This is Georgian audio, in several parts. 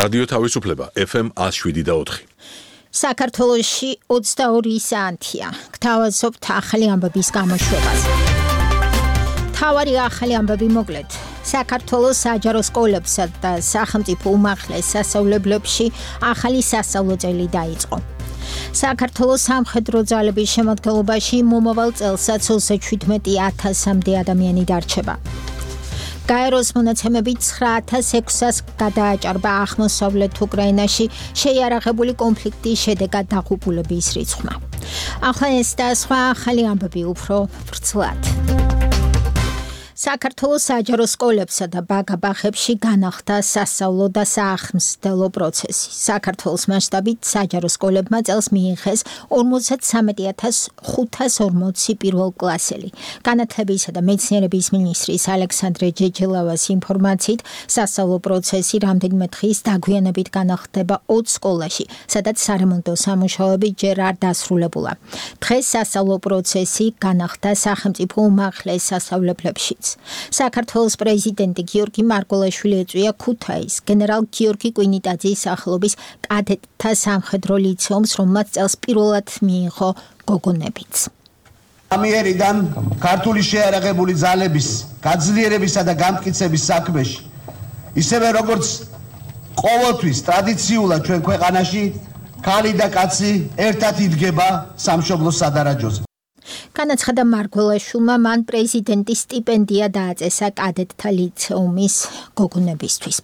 რადიო თავისუფლება FM 107.4. საქართველოში 22 საათია. გთავაზობთ ახალი ამბების გამოშვებას. თავარი ახალი ამბები მოკლედ. საქართველოს საჯარო სკოლებსა და სახელმწიფო უმაღლეს სასწავლებლებში ახალი სასწავლო წელი დაიწყო. საქართველოს სამხედრო ძალების შემადგენლობაში მომავალ წელსაც 37,000-მდე ადამიანი დარჩება. გაეროს მონაცემებით 9,600 გადააჭარბა აღმოსავლეთ უკრაინაში შეიარაღებული კონფლიქტის შედეგად დაღუპულების რიცხვმა. ახლა ეს და სხვა ახალი ამბები უფრო ვრცლად. საქართველოს საჯარო სკოლებსა და ბაგაბაღებში განახლდა სასწავლო და საახმსდელო პროცესი. საქართველოს მასშტაბით საჯარო სკოლებმა წელს მიიღეს 53,540 პირველკლასელი. განათლებისა და მეცნიერების მინისტრის ალექსანდრე ჯეჯელავას ინფორმაციით, სასწავლო პროცესი რამდენიმე დღის დაგვიანებით განახლდება 20 სკოლაში, სადაც სარემონტო სამუშაოები ჯერ არ დასრულებულა. დღეს სასწავლო პროცესი განახლდა სახელმწიფო უმაღლეს სასწავლებლებშიც. საქართველოს პრეზიდენტი გიორგი მარგველაშვილი ეწვია ქუთაის გენერალ გიორგი კვინიტაძის სახელობის კადეტთა სამხედრო ლიცეუმს, რომელმაც წელს პირველად მიიღო გოგონებიც. ამიერიდან ქართული შეიარაღებული ძალების გაძლიერებისა და გამტკიცების საქმეში, ისევე როგორც ყოველთვის ტრადიციულად ჩვენ ქვეყანაში ქალი და კაცი ერთად იდგება სამშობლოს სადარაჯოზე. განაცხადა მარგველაშვილმა, მან პრეზიდენტის სტიპენდია დააწესა კადეტთა ლიცეუმის გოგონებისთვის.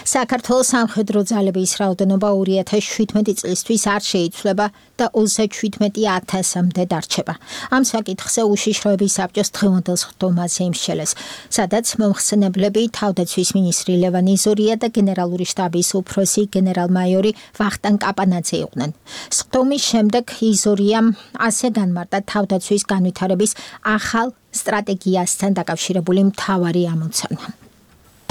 საქართველოს სამხედრო ძალების რაოდენობა 2017 წლისთვის არ შეიცვლება და 37,000-მდე დარჩება. ამ საკითხზე უშიშროების საბჭოს დღევანდელ სხდომაზე იმსჯელეს, სადაც მომხსენებლები თავდაცვის მინისტრი ლევან იზორია და გენერალური შტაბის უფროსი გენერალ-მაიორი ვახტანგ კაპანაძე იყვნენ. სხდომის შემდეგ იზორიამ ასე განმარტა თავდაცვის განვითარების ახალ სტრატეგიასთან დაკავშირებული მთავარი ამოცანა.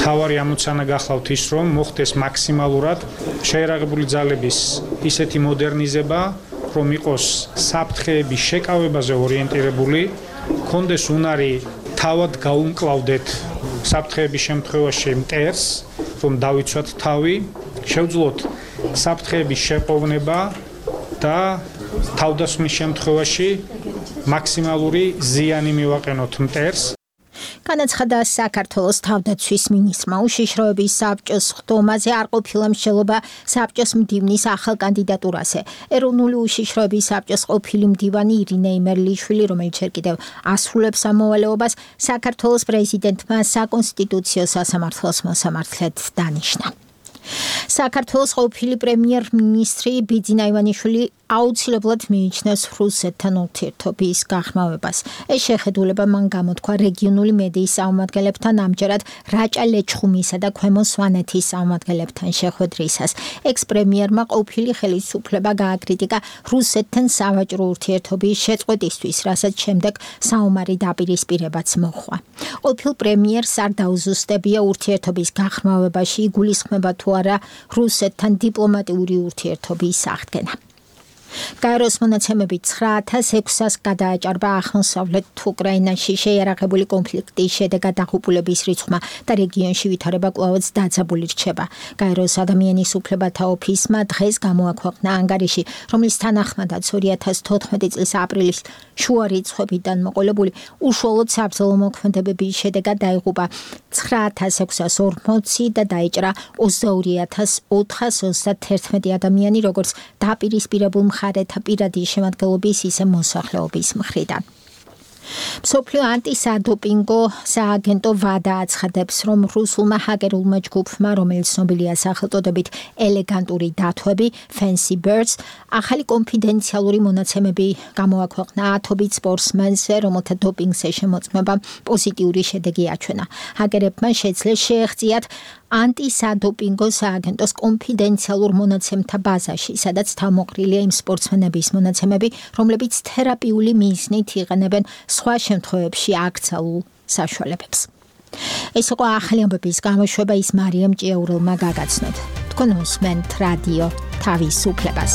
თავარი ამოცანა გახლავთ ის, რომ მოხდეს მაქსიმალურად შეიარაღებული ძალების ისეთი მოდერნიზება, რომ იყოს საფრთხეების შეკავებაზე ორიენტირებული, კონდეს უნარი თავად გაუმკლავდეთ საფრთხეების შემთხვევაში მტერს, რომ დავიცვათ თავი, შევძლოთ საფრთხეების შეყოვნება და თავდასხმის შემთხვევაში მაქსიმალური ზიანი მივაყენოთ მტერს. განაცხადა საქართველოს თავდაცვის მინისტრმა. უშიშროების საბჭოს სხდომაზე არ ყოფილა მსჯელობა საბჭოს მდივნის ახალ კანდიდატურაზე. ეროვნული უშიშროების საბჭოს ყოფილი მდივანი ირინე იმერლიშვილი, რომელიც ჯერ კიდევ ასრულებს ამ მოვალეობას, საქართველოს პრეზიდენტმა საკონსტიტუციო სასამართლოს მოსამართლედ დანიშნა. საქართველოს ყოფილი პრემიერ-მინისტრი ბიძინა ივანიშვილი აუცილებლად მიიჩნევს რუსეთთან ურთიერთობის გაღრმავებას. ეს შეხედულება მან გამოთქვა რეგიონული მედიის წარმომადგენლებთან ამჯერად რაჭა ლეჩხუმისა და ქვემო სვანეთის წარმომადგენლებთან შეხვედრისას. ექს-პრემიერმა ყოფილი ხელისუფლება გააკრიტიკა რუსეთთან სავაჭრო ურთიერთობის შეწყვეტისთვის, რასაც შემდეგ საომარი დაპირისპირებაც მოჰყვა. ყოფილ პრემიერს არ დაუზუსტებია ურთიერთობის გაღრმავებაში იგულისხმება თუ არა რუსეთთან დიპლომატიური ურთიერთობის აღდგენა. გაეროს მონაცემებით 9,600 გადააჭარბა აღმოსავლეთ უკრაინაში შეიარაღებული კონფლიქტის შედეგად დაღუპულების რიცხვმა და რეგიონში ვითარება კვლავაც დაძაბული რჩება. გაეროს ადამიანის უფლებათა ოფისმა დღეს გამოაქვეყნა ანგარიში, რომლის თანახმადაც 2014 წლის april's შუა რიცხვებიდან მოყოლებული უშუალოდ საბრძოლო მოქმედებების შედეგად დაიღუპა 9,640 და დაიჭრა 22,431 ადამიანი, როგორც დაპირისპირებულ მხარეთა პირადი შემადგენლობის, ისე მოსახლეობის მხრიდან. მსოფლიო ანტისადოპინგო სააგენტო ვადა აცხადებს, რომ რუსულმა ჰაკერულმა ჯგუფმა, რომელიც ცნობილია სახელწოდებით ელეგანტური დათვები, Fancy Birds, ახალი კონფიდენციალური მონაცემები გამოაქვეყნა ათობით სპორტსმენზე, რომელთა დოპინგზე შემოწმებამ პოზიტიური შედეგი აჩვენა. ჰაკერებმა შეძლეს შეეღწიათ ანტისადოპინგო სააგენტოს კონფიდენციალურ მონაცემთა ბაზაში, სადაც თავმოყრილია იმ სპორტსმენების მონაცემები, რომლებიც თერაპიული მიზნით იყენებენ სხვა შემთხვევებში აკრძალულ საშუალებებს. ეს იყო ახალი ამბების გამოშვება, ის მარიამ ჭიაურელმა გაგაცნოთ. თქვენ უსმენთ რადიო თავისუფლებას.